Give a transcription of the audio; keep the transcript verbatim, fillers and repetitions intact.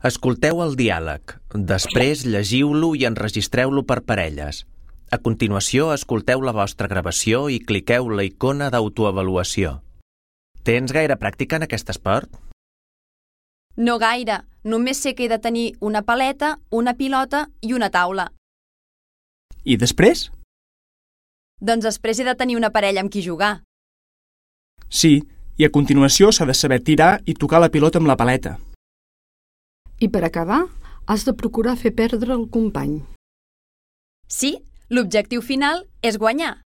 Escolteu el diàleg, després llegiu-lo i enregistreu-lo per parelles. A continuació, escolteu la vostra gravació i cliqueu la icona d'autoavaluació. Tens gaire pràctica en aquest esport? No gaire, només sé que he de tenir una paleta, una pilota i una taula. I després? Doncs després he de tenir una parella amb qui jugar. Sí, i a continuació s'ha de saber tirar i tocar la pilota amb la paleta. I per acabar, has de procurar fer perdre el company. Sí, l'objectiu final és guanyar.